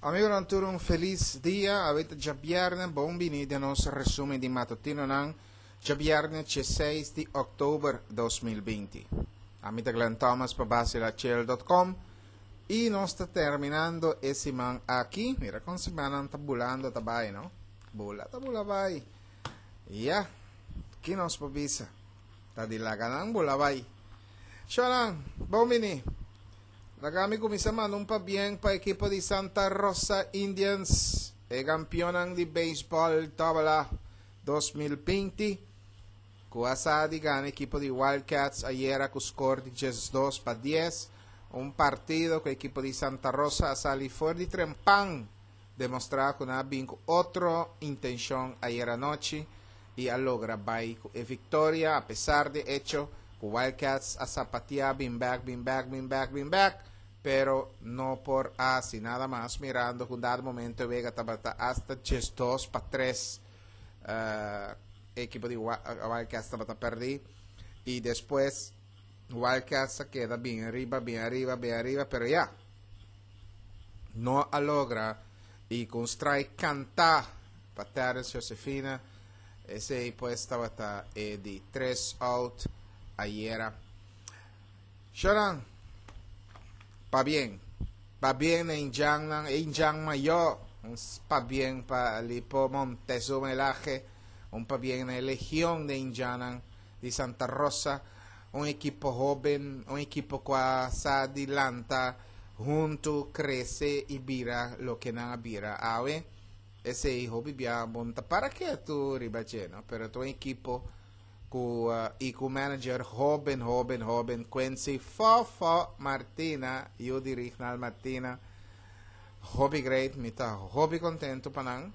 Amigonan tur un felis dia, awe ta djabièrnè, bon bini den nos resumen di matutinonan, djabièrnè diesseis di òktober 2020. Ami ta Glenn Thomas pa basilachel.com i nos ta terminando e siman aki. Mira kon simannan ta bulando ta bai, no? Bula ta bula bai. Ya, ki nos por bisa? Ta di laga nan bula bai. Shonan, bon bini. Laga mi kuminsá manda un pabien pa ekipo di Santa Rosa Indians, e kampionnan di beisbòl Double A 2020, ku a sa di gana ekipo di Wildcats ayera ku skor di 12-10, un partido ku ekipo di Santa Rosa a sali for di trempan, demostrá ku nan a bin ku otro intenshon ayera nochi i a logra bai ku e viktoria apesar di echo ku Wildcats a sapatia bin bek, bin bek, bin bek, bin bek, pero no por a hasi nada mas mirando ku un dado momento e wega tabata hasta 12-3 e ekipo di Wildcats tabata pèrdí i despues Wildcats a keda bin ariba, bin ariba, bin ariba, pero ya no a logra i ku un strike kantá pa Terrence Josefina. Esei pues tabata e di tres out ayera. Shonan, pabien. Pabien na indjannan, e indjan mayó. Un pabien pa Lipo Montezuma Elage. Un pabien na e legion de indjannan di Santa Rosa. Un ekipo hóben, un ekipo ku a sa di lanta huntu, krese i bira loke nan a bira awe. Esei hopi bia bon ta para ketu riba dje, no? Pero ta un ekipo ku i ku manager hóben, hóben, hóben, Quincy Fofo Martina, yu di Rignald Martina. Hopi great, mi ta hopi kontentu pa nan.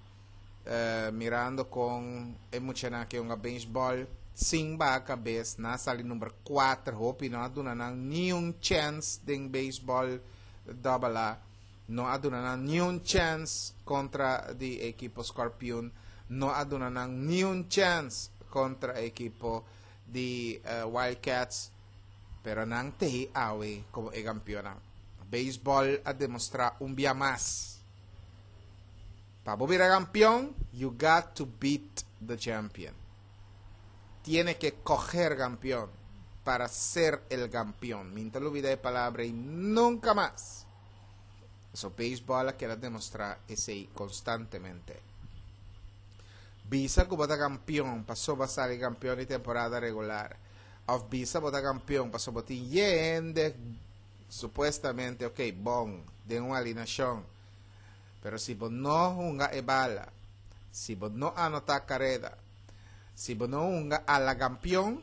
Mirando kon e muchanan aki hunga beisbòl sin baha kabes, nan a sali number kuater, hopi no a duna nan niun chèns den beisbòl Double A. No a duna nan niun chèns kontra di e ekipo Scorpion, no a duna nan niun chèns kontra e ekipo di Wildcats, pero nan tehi awe komo e kampionnan. Beisbòl a demostrá un bia mas, pa bo bira kampion, you got to beat the champion. Tiene ke koher kampion para ser el kampion. Mi no ta lubida e palabra ei nunka mas. So beisbòl a keda demostrá esei konstantemente. Bisa ku bo ta kampion pasobra bo a sali kampion di temporada regular òf bisa bo ta kampion pasobra bo tin hende supuestamente ok bon den un alinashon pero si bo no hunga e bala, si bo no anotá kareda, si bo no hunga a la kampion,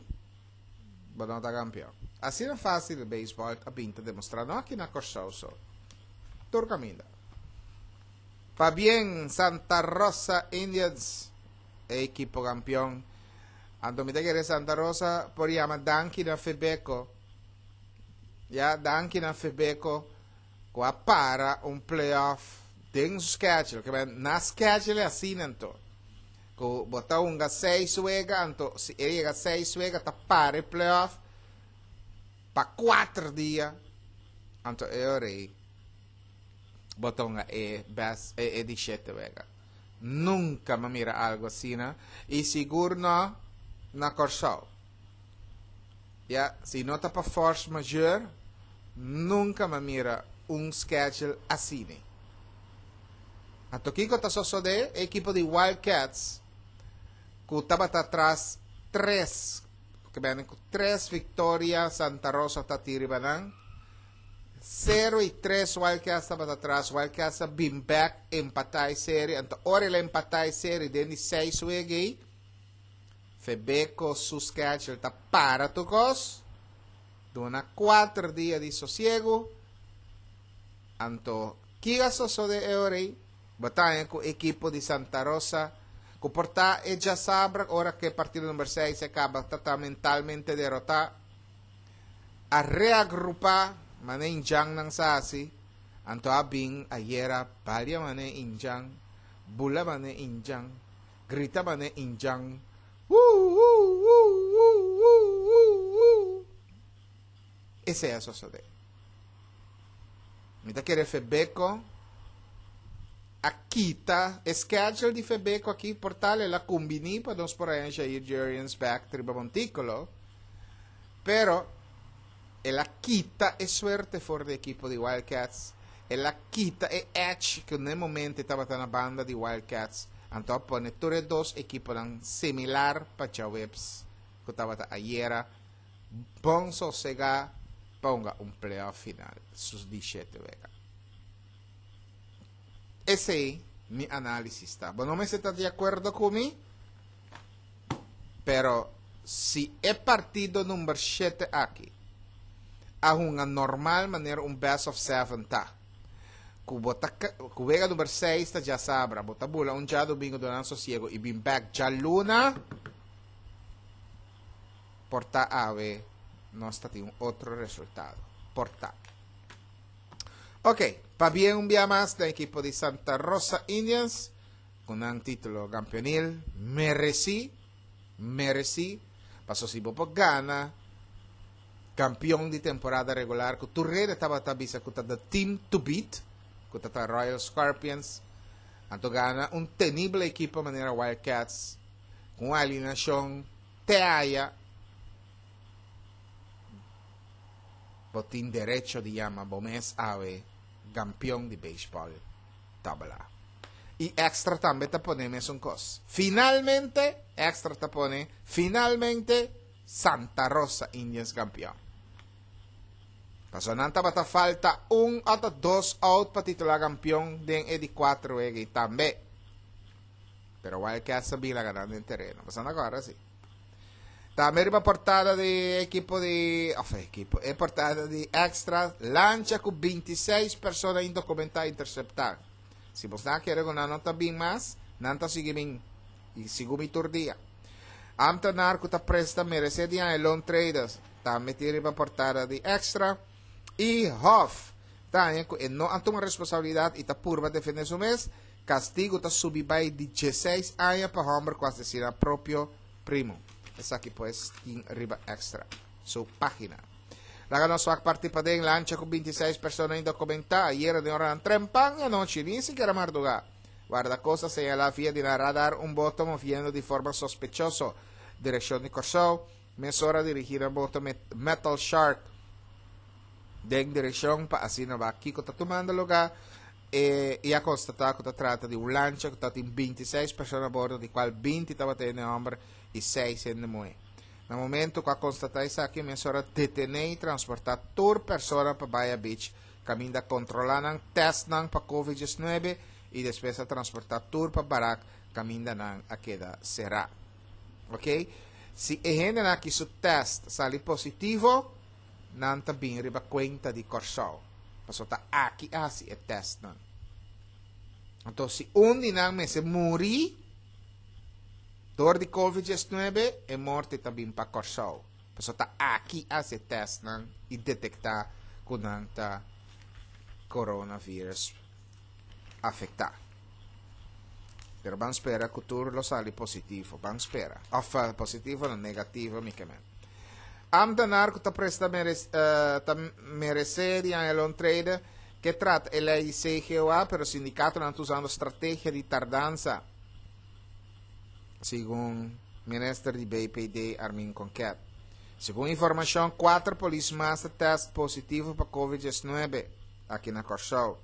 bo no ta kampion. Asina fásil beisbòl a bin ta demostrá, no aki na Kòrsou so, tur kaminda. Pabien Santa Rosa Indians, e ekipo kampion. Anto mi ta kere Santa Rosa por yama danki na Febeko. Ya, danki na Febeko ku a para un playoff den su schedule. Ke men na schedule asina anto. Ku bo ta hunga seis wega, anto si e yega seis wega ta para e playoff pa kuater dia, anto e ora ei bo ta hunga e best e, e di shete wega. Nunka mi a mira algu asina i sigur no na Kòrsou. Ya, si no ta pa force majeure, nunka mi a mira un schedule asina. Anto kiko ta sosodé? E ekipo di Wildcats ku tabata tras tres, ku bene ku tres viktoria Santa Rosa ta tin riba nan. 0-3 Wildcats tabata tras, Wildcats a bin bèk empatá e serie. Anto ora el a empatá e serie den di seis wega ei, Febeko su schedule ta para tur kos, duna kuater dia di sosiegu. Anto, ki a sosode e ora ei? Bo ta haña ku ekipo di Santa Rosa, ku por ta e djasabra ora ku e partido number seis a kaba ta ta mentalmente derotá, a reagrupá manera indjannan sa hasi, anto a bin ayera balia manera indjan, bula manera indjan, grita manera indjan, Wuu-wuu-wuu-wuu-wuu-wuu-wuu. Esei a sosodé. Mi ta kere Febeko. A kita e schedule di Febeko aki por tal el a kumbiní pa nos por haña Jair Jurrjens bèk riba montíkulo, pero el a kita e suerte for di ekipo di Wild Cats, el a kita e edge ku na e momento e tabata na banda di Wild Cats, anto a pone tur e dos ekiponan similar pa djaweps ku tabata ayera bon sosegá pa hunga un playoff final su di shete wega. Esei mi análisis ta. Bo no mester ta di akuerdo ku mi, pero si e partido number shete aki a hunga normal manera un best of seven ta, ku bo ta ku wega number seis ta djasabra, bo ta bula un djadumingu duna nan sosiego i bin bèk djaluna, por ta awe nos ta tin un otro resultado. Por ta. Ok, pabien un bia mas na ekipo di Santa Rosa Indians ku nan título kampionil meresí, meresí, paso si bo por gana kampion di temporada regular ku tur rede tabata bisa ku ta the team to beat, ku ta ta Royal Scorpions, anto gana un tenible ekipo manera Wild Cats ku un alineashon te aya. Bo tin derecho di yama bo mes awe gampion di beisbòl tabla. I Extra tambe ta pone mesun kos. Finalmente, Extra ta pone, finalmente Santa Rosa Indians gampion. Pasobra nan tabata falta un ota dos out pa titulá gampion den e di kuater wega i tambe. Pero Wild Cats a bin laga nan den tereno. Pasobra nan kòrda si. Tambe riba portada di ekipo di, of ekipo, e portada di Extra, lancha ku 26 persona indokumentá interseptá. Si bos nan kere ku nan no ta bin mas, nan ta sigui bin i sigu mi tur dia. Ambtenaar ku ta presta meresé di haña loan traders, tambe tin riba portada di Extra. I Hof ta haña ku e no a tuma responsabilidat i ta purba defendé su mes, Castigo ta subi bai di dieseis aña pa homber cu asesina propio primo. Esaki pues tin riba Extra su pagina. Laga nos wak parti paden lancha cu 26 persona indocumenta ayera den oranan trempan e anochi, ni sikiera marduga. Guardacosta señala via di nan radar un boto moviendo di forma sospechoso direccion di Corsou. Mesora dirigi nan boto Metal Shark den direccion pa asina wak kico ta tumando lugar. E i a konstatá ku ta trata di un lancha ku tatin bintiseis persona a bordo, di kual binti tabata hende hòmber i seis hende muhé. Na momentu ku a konstatá esaki, mesora detené i transportá tur persona pa Baya Beach, kaminda a kontrolá nan, tèst nan pa Covid diesnuebe i despues a transportá tur pa barak kaminda nan a keda será. Oke, si e hendenan aki su tèst sali positivo, nan ta bin riba kuenta di Kòrsou, pasobra ta aki a hasi e tèstnan. Anto si un di nan mester muri dor di Covid diesnuebe, e morte ta bin pa Kòrsou, pasobra ta aki a hasi e tèstnan i detektá ku nan ta coronavirus afektá. Pero ban spera ku tur lo sali positivo. Ban spera. Òf positivo no, negativo mi ke men. Ambtenaar ku ta presta ta meresé di haña loontrede ke trata e lei di CGOA, pero sindikatonan ta usando strategia di tardansa, segun minister di BPD Armin Konket. Segun informashon, kuater polis mas ta tèst positivo pa Covid diesnuebe aki na Kòrsou.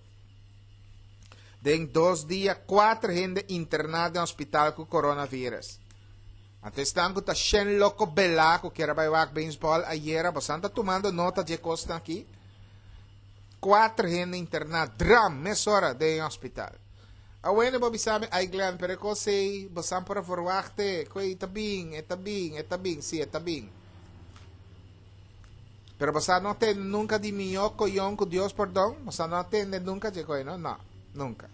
Den dos dia kuater hende interná den hospital ku coronavirus. Anto esnan ku ta shen loko belá ku kier a bai wak beisbòl ayera, bosan ta tumando nota dje kosnan aki? Kuater hende interná dram mesora den e hospital. Awene bo bisa mi, ai Glenn, pero e kos ei bosan por a verwachté ku ei ta bin, e ta bin, e ta bin, sí e ta bin. Pero bosan no a tende nunka di mihó koyon ku Dios pordon? Bosan no a tende nunka dje koe, no? No, nunka.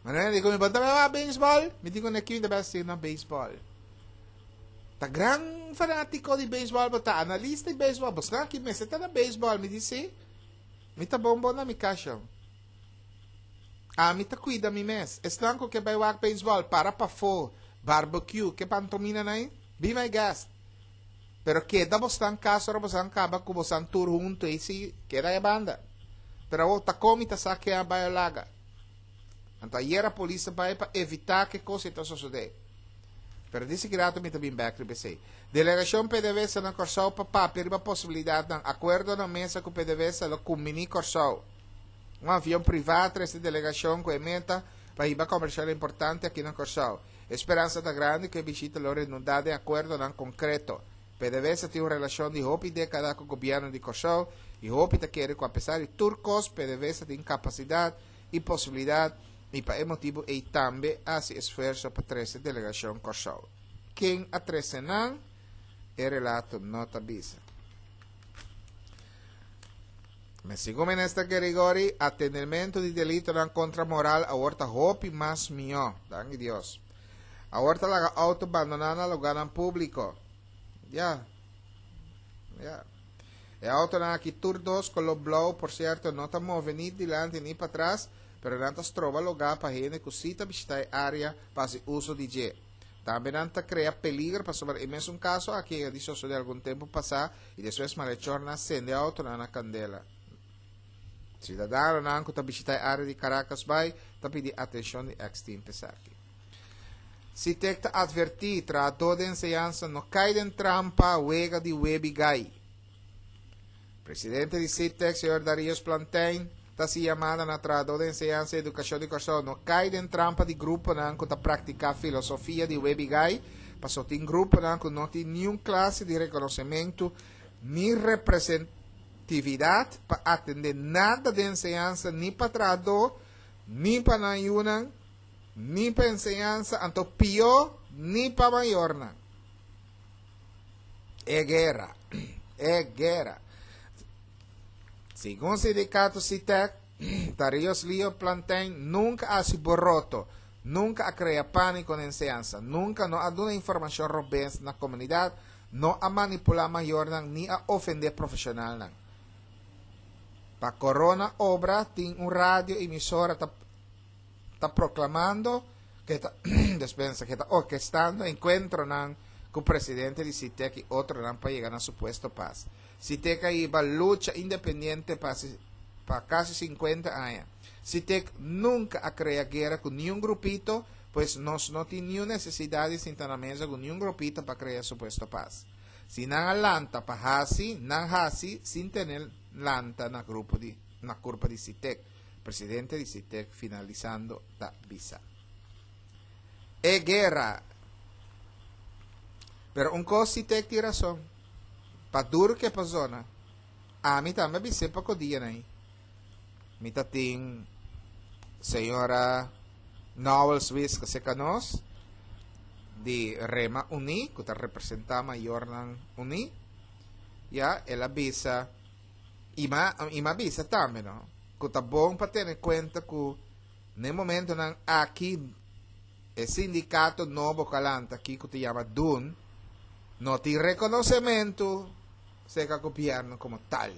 Manera di ku mi bo ta bai wak beisbòl? Mi di ku ne kiu ta bai hasi na beisbòl. Ta gran fanátiko di beisbòl bo ta, analista di beisbòl. Bosnan aki mester ta na beisbòl. Mi di si. Mi ta bon bon na mi kashon. Ami ta kuida mi mes. Esnan ku ke bai wak beisbòl, para pafó, barbecue, ke pantomina nan ei? Be my guest. Pero keda bosnan kas ora bosnan kaba ku bosnan tur huntu ei si, keda e banda. Pero awor ta kon mi ta sa ke a bai o laga? Anto ayera polis a bai pa evitá ku e kos ei ta sosodé. Pero di sikirato mi ta bin bèk riba esei. Delegashon PDVSA na Kòrsou pa papia riba posibilidatnan. Akuerdo na mesa ku PDVSA lo kumbiní Kòrsou. Un avion privá a trese delegashon ku e meta pa hiba komershal importante aki na Kòrsou. E speransa ta grandi ku e bishita lo renundá den akuerdonan konkreto. PDVSA tin un relashon di hopi dékada ku gobièrnu di Kòrsou i hopi ta kere ku apesar di tur kos PDVSA tin kapasidat i posibilidat i pa e motibu ei tambe a hasi esfuerso pa trese delegashon Kòrsou. Ken a trese nan? E relato no ta bisa. Me segun Minister Gerigori, atendementu di delitonan kontra moral awor ta hopi mas mihó. Danki Dios. Awor ta laga outo bandoná na lugánan públiko. Ya. Ya. E autonan aki tur dos koló blou, por sierto, no ta move ni dilanti ni patras, pero nan ta stroba lugá pa hende ku sí ta bishitá e área pa hasi uso di dje. Tambe nan ta krea peliger pasobra e mesun kaso aki a yega di sosodé algun tempu pasá i despues malechornan a sende e autonan na kandela. Siudadanonan ku ta bishitá e área di Caracasbaai ta pidi atenshon di èks-team p'esaki. Sitek ta advertí, Trahadó den enseñansa no kai den trampa wega di webi gai. Presidente di Sitek, señor Darius Plantijn, ta hasi yamada na trahadó den enseñansa i edukashon di Kòrsou no kai den trampa di gruponan ku ta praktiká filosofia di webi gai, pasobra tin gruponan ku no tin niun klase di rekonosementu ni representividat pa atendé nada den enseñansa ni pa trahadó ni pa nan yunan. Ni pa enseñansa, anto pió ni pa mayornan. E guera, e guera. Segun sindicato SITEC, Darius Leo Plantain nunca a haci boroto, nunca a crea panico na enseñansa, nunca no a duna informacion robes na comunidad, no a manipula mayornan ni a ofende profesionalnan. Pa corona obra tin un radio emisora ta ta proclamando que ta despensa que ta orquestando encuentronan cu presidente di SITEC y otronan pa yega na supuesto paz. SITEC a hiba lucha independiente pa pa casi 50 aña. SITEC nunca a crea guera cu niun grupito, pues nos no tin niun necesidad di sinta na mesa cu niun grupito pa crea supuesto paz. Si nan a lanta pa haci, nan haci sin tene lanta na grupo di na curpa di SITEC. Presidente di SITEC finalisando ta bisa. E guera. Pero un cos SITEC tin razon. Pa duro ke pa zona. Ami tambe a bis'é poko dianan ei. Mi ta tin señora Nowel Swiss cerca nos di Rema Uní ku ta representá mayornan uní. Ya, el a bisa I m'a i m'a bisa tambe no ku ta bon pa tene kuenta ku na e momentonan aki e sindikato nobo ku a lanta aki ku ta yama dun no tin rekonosementu serka gobièrnu komo tal.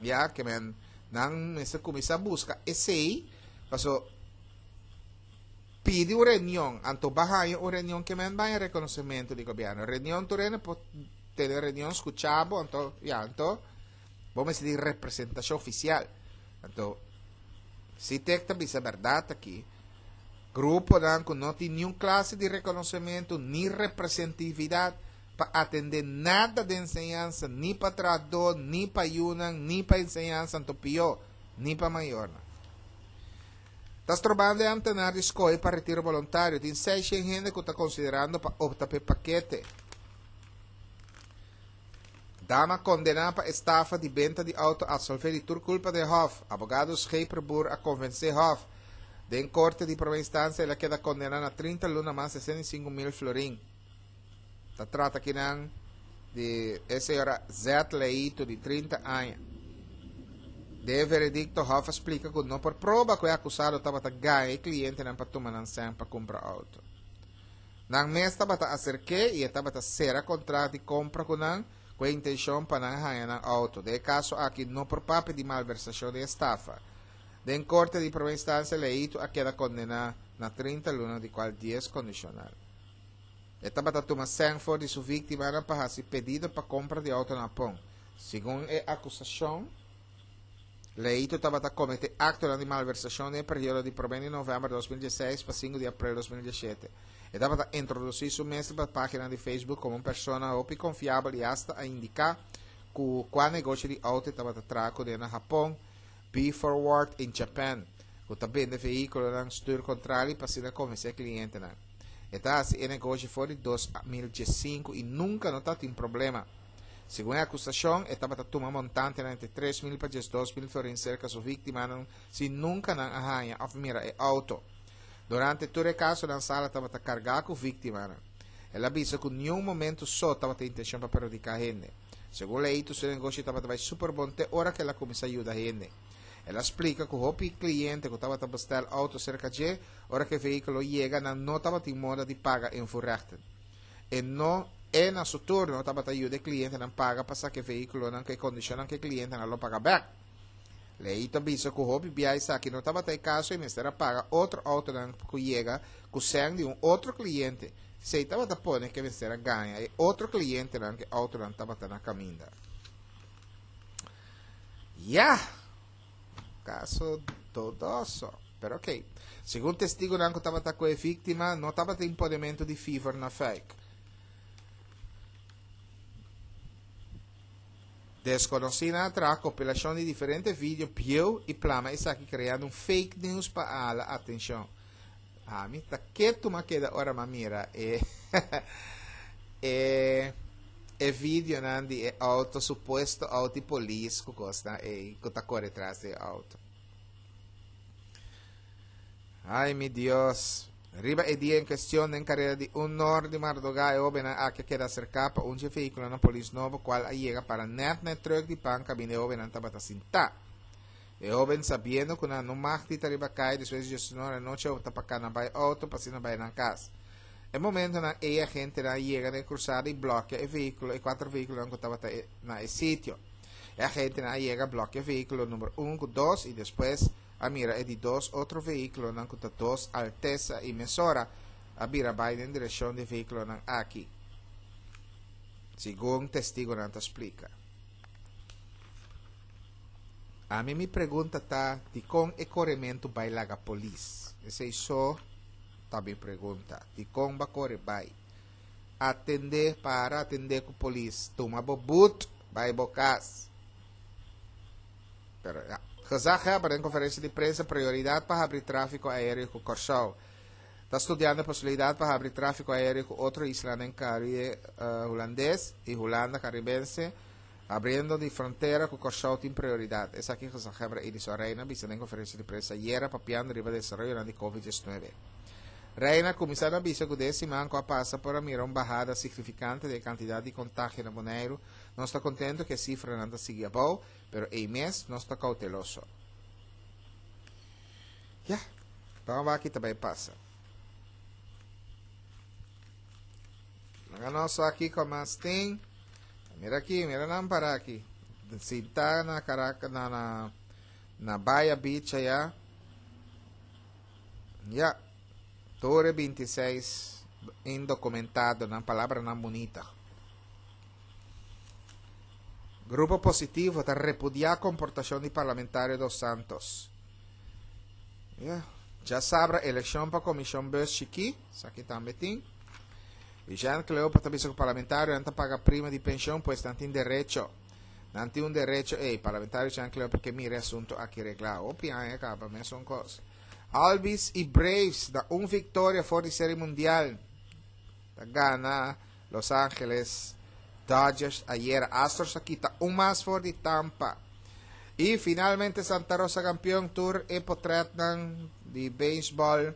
Ya ke men nan mester kuminsá buska esei paso pidi un reunion anto ba haña un reunion ke men baña rekonosementu di gobièrnu. Reunion tur hende por tene reunion skucha bo anto ya anto bo mester di representashon ofisial anto si tek ta bisa bèrdat aki gruponan ku no tin niun klase di rekonosementu ni representividat pa atendé nada den enseñansa ni pa trahadó ni pa yunan ni pa enseñansa anto pió ni pa mayornan ta strobando e amtenar di skohe pa retiro boluntario tin seishen hende ku ta konsiderando pa opta pa e pakete. Dama kondená pa estafa di benta di outo absolvé di tur kulpa den hòf. Abogado Scheperboer a konvensé hòf. Den korte di promé instansia el a keda kondená na 30 luna mas 65 mil florin. Ta trata kinan di e señora Z. Leito di 30 aña. Den e veredikto hòf a splika ku no por proba ku e akusado tabata gaña e klientenan pa tuma nan sèn pa kumpra outo. Nan mes tabata aserk'é i e tabata sera kontrat di kompra ku nan ku e intenshon pa nan haña nan outo. Den e kaso aki no por papia di malversashon di estafa. Den korte di promé instansia Leito a keda kondená na 30 luna di kual dies kondishonal. E tabata tuma sèn for di su víktimanan pa hasi pedido pa kompra di outo na Hapon. Segun e akusashon. Leito tabata kometé aktonan di malversashon den e periodo di promé di novèmber 2016 pa 5 di aprel 2017. E tabata introdusí su mes riba página di Facebook komo un persona hopi konfiabel i asta a indiká ku kua negoshi di outo e tabata traha kuné na Hapon, Be Forward in Japan, ku ta bende vehíkulonan stuur kontrali pa asina konvensé klientenan. E ta hasi e negoshi for di 2015 i nunka no tatin problema. Segun e akusashon, e tabata tuma montantenan entre 3000 pa 12,000 florin serka su víktimanan sin nunka nan a haña òf mira e outo. Durante tur e kasonan Sala tabata kargá ku víktimanan. El a bisa ku niun momentu so tabata intenshon pa perhudiká hende. Segun Leito su negoshi tabata bai super bon te ora ku el a kuminsá yuda hende. El a splika ku hopi kliente ku tabata bestèl outo serka dje, ora ku e vehíkulo yega nan no tabatin moda di paga invoerrechten. E no e na su turno tabata yuda e klientenan paga pa saka e vehíkulonan ku e kondishonnan ku e klientenan lo paga bèk. Leito a bisa ku hopi bia esaki no tabata e kaso i mester a paga otro outonan ku yega ku sèn di un otro kliente. Esei tabata pone ku e mester a gaña e otro klientenan ku e outonan tabata na kaminda. Ya! Kaso dodoso. Pero ok. Segun testigunan ku tabata ku e víktima, no tabatin ponementu di fever na fuik. Deskonosínan a traha kopilashon di diferente video bieu i plama esaki kreando un fake news pa hala atenshon. Ami ta ketu m'a keda ora m'a mira e e e videonan di e auto, supuesto auto di polis ku kosnan ei ku ta kore tras di e auto. Ai mi Dios. Riba e dia en kestion den kareda di un nor di mardugá e hóbennan aki a keda aserká pa un dje vehíkulonan polis nobo kual a yega para nèt na e trùk di pan kaminda e hóbennan tabata sintá. E hóben sabiendo ku nan no mag di ta riba kai despues di diesunor anochi a opta pa kana bai outo pa asina bai nan kas. E momentonan ei e agentenan a yega na e krusada i blòkia e vehíkulo e kuater vehíkulonan ku tabata na e sitio. E agentenan a yega blòkia vehíkulo number un ku dos i despues a mira e di dos otro vehíkulonan ku ta dos Altezza i mesora a bira bai den direkshon di e vehíkulonan aki, segun testigunan ta splika. Ami mi pregunta ta dikon e korementu bai laga polis? Esei so ta mi pregunta. Dikon ba kore bai? Atendé, para atendé ku polis. Tuma bo but, bai bo kas. Pero ya. Gezaghebber den konferensia di prensa prioridat pa habri tráfiko aéreo ku Kòrsou. Ta studiando e posibilidat pa habri tráfiko aéreo ku otro islanan den Karibe Hulandes i Hulanda Karibense. Abriendo di frontera ku Kòrsou tin prioridat. Esaki gezaghebber Edison Reina bisa den konferensia di prensa ayera papiando riba desaroyonan di Covid 19. Reina kuminsá na bisa ku den e siman ku a pasa por a mira un bahada signifikante den e kantidat di kontagio na Boneiru. Nos ta kontentu ku e sifranan ta sigui abou, pero ei mes nos ta kouteloso. Ya, ban wak ki ta bai pasa. Laga nos wak kiko mas tin. Mira aki, mira nan para aki. Sintá na Caracas, na, na, na Bahia Beach allá. Ya. Torre 26 indocumentado, nan palabranan bunita. Grupo Positivo ta repudiá komportashon di parlamentario Dos Santos. Ya. Djasabra elekshon pa komishon bus chikí, esaki tambe tin. Jean Cleopa ta bisa ku parlamentarionan ta paga prima di penshon, pues nan tin derecho. Nan tin un derecho ei. Parlamentario Jean Cleopa ke mira e asunto aki reglá. Hopi aña kaba, mesun kos. Albies i Braves na un viktoria for di Seri Mundial. Ta gana Los Angeles Dodgers ayera. Astros a kita un mas for di Tampa. I finalmente Santa Rosa kampion tur e potretnan di beisbòl.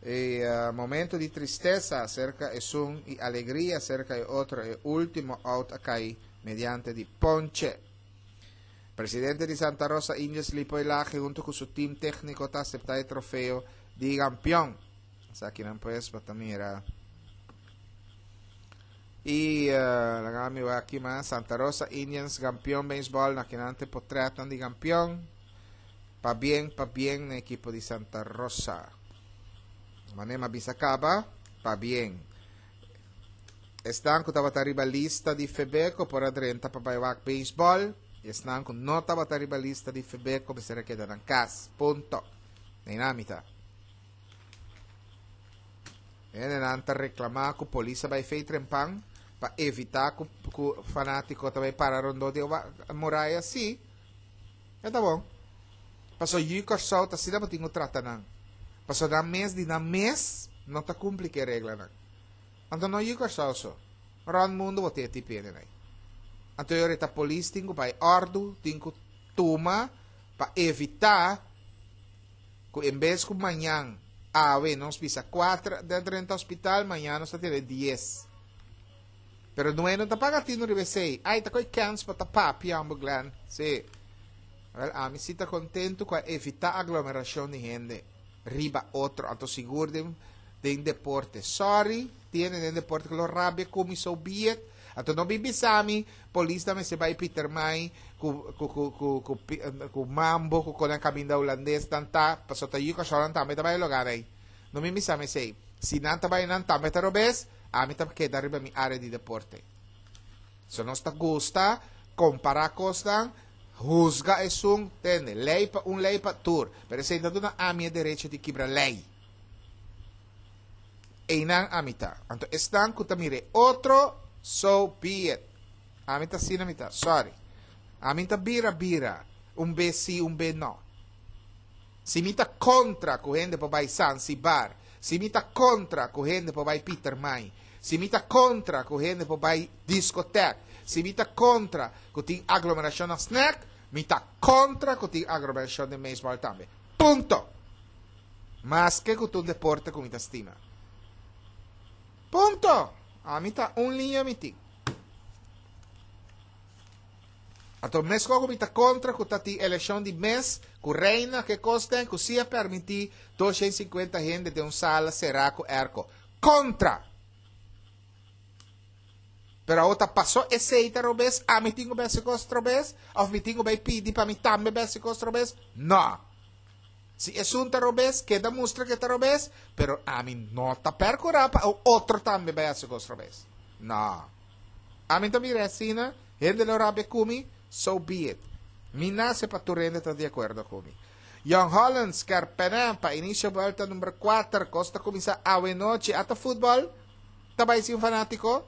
E momento di tristesa acerca esun y alegria acerca e otro e ultimo out a cay mediante di ponche. Presidente di Santa Rosa Indians Lipoy Lage hunto cu su team tecnico ta acepta e trofeo di campeon. Esakinan pues bo ta mira. Y uh, laga mi wak aki mas. Santa Rosa Indians campeon baseball na kinante potretnan di campeon. Pabien, pabien na ekipo di Santa Rosa. Mane m'a bisa kaba, pabien. Esnan ku tabata riba lista di Febeko por a drenta pa bai wak beisbòl. I esnan ku no tabata riba lista di Febeko mester a keda nan kas. Punto. Neinan mi ta. Hendenan ta reklamá ku polis a bai fei trempan pa evitá ku ku fanátiko ta bai para rondó di e muraya. Sí, e ta bon. Pasobra yu Kòrsou ta asina bo tin ku trata nan. Pasobra nan mes di nan mes no ta kumpli ku e reglanan. Anto no yu Kòrsou so. Rònt mundu bo tin e tipo hendenan ei. Anto e ora ta polis tin ku bai òrdu, tin ku tuma pa evitá ku en bes ku mañan awe nos bisa kuater den drenta hospital, mañan nos ta tene dies. Pero nuei no ta paga tinu riba esei. Ai, ta koi kèns pa ta papia, homber Glenn. Sí. Wel, ami si ta kontentu ku a evitá aglomerashon di hende riba otro, anto sigur den den deporte. Sorry, tiene den deporte ku lo rabia ku mi, so be it. Anto no bin bisa mi polis ta mester bai Pietermaai ku ku ku ku ku ku mambo ku kon nan kaminda hulandes nan ta pasobra ta yu kòrsounan tambe ta bai e lugar ei. No bin bisa mi esei. Si nan ta bai nan tambe ta robes, ami ta keda riba mi área di deporte. So nos ta gusta kompará kosnan, husga esun, tende, lei pa un lei pa tur. Pero esei no ta duna ami e derecho di kibra lei. Einan ami ta. Anto esnan ku ta mira e otro, so be it. Ami ta asina mi ta. Sorry. Ami ta bira bira, un be si, un be no. Si mi ta kontra ku hende por bai Zanzibar, si mi ta kontra ku hende por bai Pietermaai, si mi ta kontra ku hende por bai diskotek, si mi ta kontra ku tin aglomerashon na snack, mi ta kontra ku tin aglomerashon den beisbòl tambe. Punto! Maske ku ta un deporte ku mi ta stima. Punto! Ami ta un liña mi tin. Anto meskos ku mi ta kontra ku ta tin elekshon di mes ku reina ke kos den ku si a permití 250 hende den un sala será ku airco. Kontra! Pero awor ta pasó esei ta robes, ami tin ku bai hasi kos trobes? Òf mi tin ku bai pidi pa mi tambe bai hasi kos trobes? No! Si esun ta robes, keda mustra ke ta robes, pero ami no ta percura pa un otro tambe bai haci cos robes. No. Ami ta mira asina, hende lo rabia cu mi, so be it. Mi nace pa tur hende ta di acuerdo cu mi. Jong Holland, Skerpenen, pa inicio buelta number cuater, cos ta cuminsa awe nochi, ata futbol ta bai sin fanatico?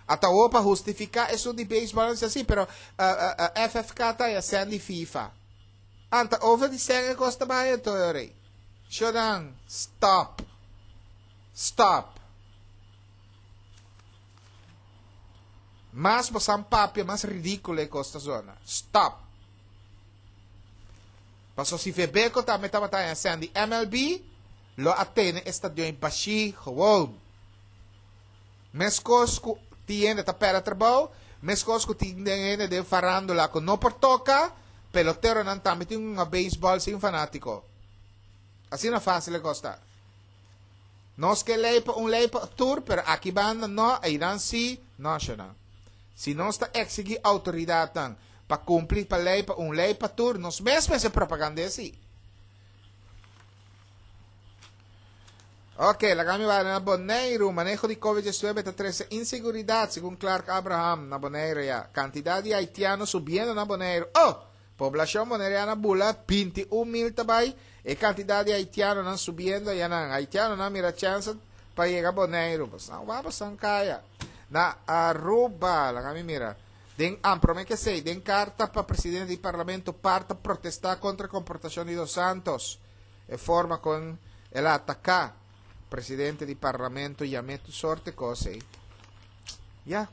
Ata awor pa hustifica esun di baseball nan si asi, pero FFK ta ya sendi FIFA. Anta over di sèn e kos ta bai anto e ora ei. Shonan, stop. Stop. Mas bosan papia, mas ridíkulo e kos ta zona. Stop. Paso si Febeko tambe tabata haña sèn di MLB, lo a tene e stadion ei bashí gewoon. Meskos ku tin hende ta pèrdè trabou, meskos ku tin den hende den farándula ku no por toka, peloteronan tambe tin hunga beisbòl sin fanátiko. Asina fásil e kos ta. Nos ke lei pa un lei pa tur, pero aki banda no, einan sí, no ashonan. Si nos ta eksigí outoridatnan pa kumpli pa lei pa un lei pa tur, nos mes mester propagand'é sí. Ok, laga mi bai na Boneiru. Maneho di Covid 19 ta trese inseguridat, segun Clark Abraham na Boneiru ya. Kantidat di haitiano subiendo na Boneiru. Oh! Poblashon boneriano bula 21 mil ta bai. E kantidat di haitianonan subiendo ayanan. Haitianonan mira chèns pa yega Boneiru. Bosan wak bosan kaya. Na Aruba, laga mi mira. Den am prome ke esei, den karta pa presidente di parlamento par ta protestá kontra komportashon di Dos Santos. E forma kon el a ataká presidente di parlamento yam'é tur sorte kos ei. Ya.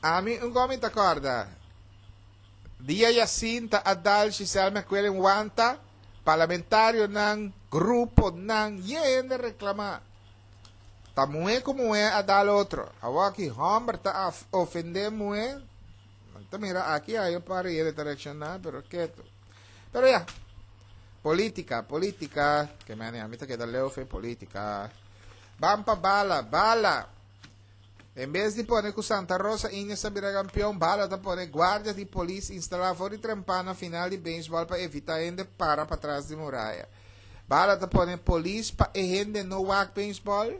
Ami un gomi ta kòrda. Dia Jacinta a dal Giselle McQuillan wanta, parlamentarionan, gruponan, yen hende reklamá. Ta muhé ku muhé a dal otro. Awor aki hòmber ta ofendé muhé. Nan ta mira aki ayo par hende ta reakshoná, pero ketu. Pero ya, polítika, polítika, ke mene ami ta keda leu fe polítika. Ban pa bala, bala. En bes di pone ku Santa Rosa Indians ta bira kampeon, bala ta pone guardia di polis instalá for di trempan na final di beisbòl pa evitá hende para patras di muraya. Bala ta pone polis pa e hende no wak beisbòl.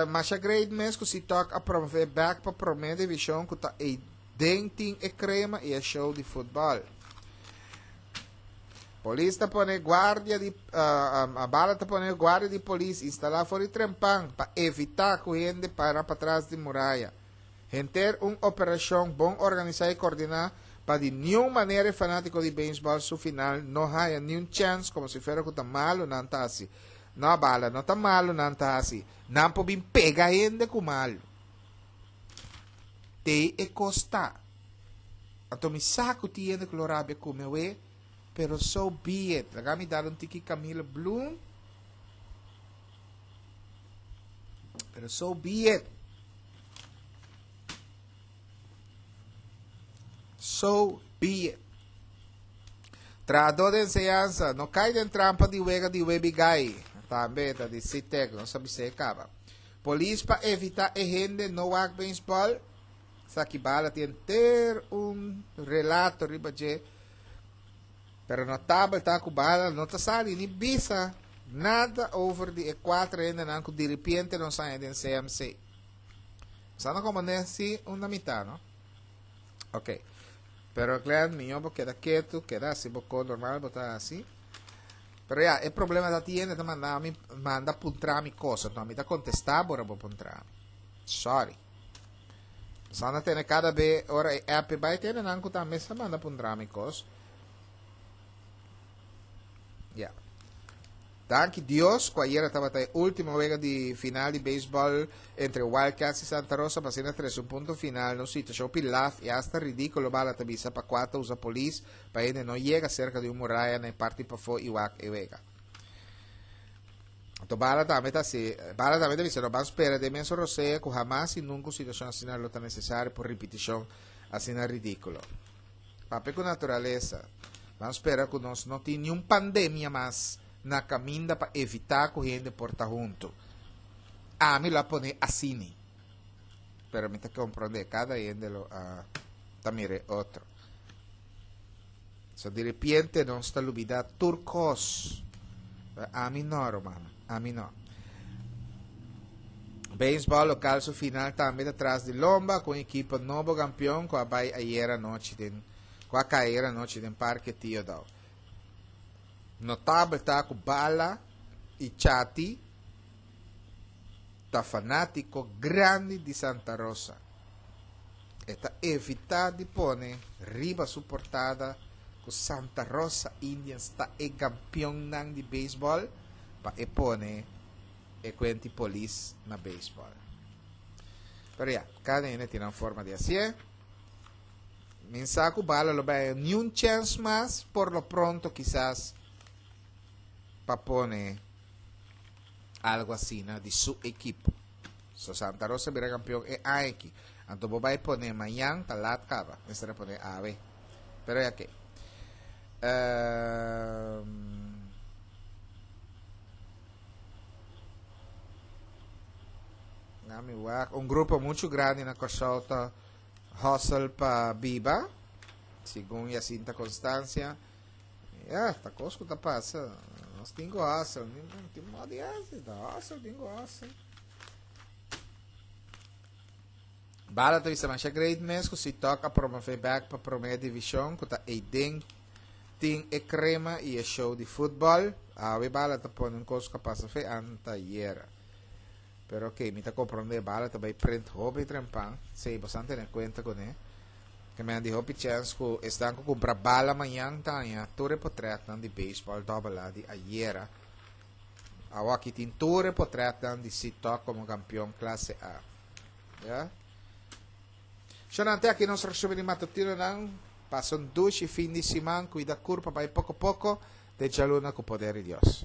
Masha great mes ku Sitok a promové bèk pa promé divishon ku ta eiden tin e krema i e show di futbòl. Polis ta pone guardia di bala ta pone guardia di polis instalá for di trempan pa evitá ku hende para patras di muraya. Henter un operashon bon organisá i kordiná pa di niun manera e fanátiko di beisbòl su final no haya niun chèns komo si fuera ku ta malu nan ta hasi. No bala, no ta malu nan ta hasi. Nan por bin pega hende ku malu. Te e kos ta. Anto mi sa ku tin hende ku lo rabia ku mi awe, pero so be it. Laga mi dal un tiki Camille Bloem. Pero so be it. So be it. Trahadó di enseñansa, no kai den trampa di wega di webi gai. Tambe ta di CITEC, nos a bis'é e kaba. Polis pa evita e hende no wak beisbòl. Esaki bala tin henter un relato riba dje. Pero notabel ta ku bala no ta sali ni bisa nada over di e kuater hendenan ku diripiente nos haña den CMC. Sa no como ne si una mitad, no? Ok. Pero Glenn, miyo bo keda ketu, keda hasi bo ko normal bo ta hasi. Pero ya, e problema ta tiene ta manda mi manda puntra mi cosa, no mi ta contesta bo ora bo puntra mi. Sorry. Sa na tene cada be ora e app bai tene nan ku tambe sa manda puntra mi kos. Ya. Danki Dios ku ayera tabata e ultimo wega di final di beisbòl entre Wildcats i Santa Rosa pa asina trese un punto final na un situashon pilaf i asta ridíkulo bala ta bisa pa kua ta usa polis pa hende no yega serka di un muraya na e parti pafó i wak e wega. Anto bala tambe ta hasi, bala tambe ta bisa no ban spera den mesun rosea ku hamas i nunka un situashon asina lo ta nesesario pa un ripitishon asina ridíkulo. Papia ku naturalesa. Ban spera ku nos no tin niun pandemia mas na kaminda pa evitá ku hende por ta huntu. Ami lo a pone asini. Pero mi ta komprondé, kada hende lo a ta mira e otro. So diripiente nos ta lubidá tur kos. Ami no, rumannan. Ami no. Beisbòl lokal su final tambe ta tras di lomba ku un ekipo nobo kampion ku a bai ayera anochi den ku a kai ayera anochi den Parke Tio Daou. Notabel ta ku Bala i Chati ta fanátiko grandi di Santa Rosa. E ta evitá di pone riba su portada ku Santa Rosa Indians ta e kampionnan di beisbòl pa e pone e kuenti polis na beisbòl. Pero ya, kada hende tin nan forma di hasié. Min sa ku Bala lo bai niun chèns mas por lo pronto kisas pa pone algo asina di su ekipo. So Santa Rosa bira kampion e aña aki. Anto bo bai pone mañan ta lat kaba. Mester a pone awe. Pero ya ke. Um, Nami wak. Un grupo mucho grandi na Kòrsou ta hustle pa biba. Segun Jacinta Constancia. Ya, ta kos ku ta pasa. Nos tin ku hustle. Tin modo di hasi. Ta hustle, tin ku hustle. Bala ta bisa masha great mes ku si tok a promove bek pa prome divishon ku ta eiden tin e krema i e show di futbòl. Awe Bala ta pone un kos ku a pasa fe antayera. Pero ok, mi ta komprondé Bala ta bai print hopi trempan. Sí, boso a tene kuenta kuné. Ke men di hopi chèns ku esnan ku kumpra Bala mañan ta haña tur e potrètnan di beisbòl dòbel A di ayera. Awaki tin tur e potrètnan di Sitok komo kampion klase A. Ya. Shonante aki nos resumen di matutinonan. Pasa un dushi fin di siman. Cuida curpa bay poco poco. Te djaluna cu poder di Dios.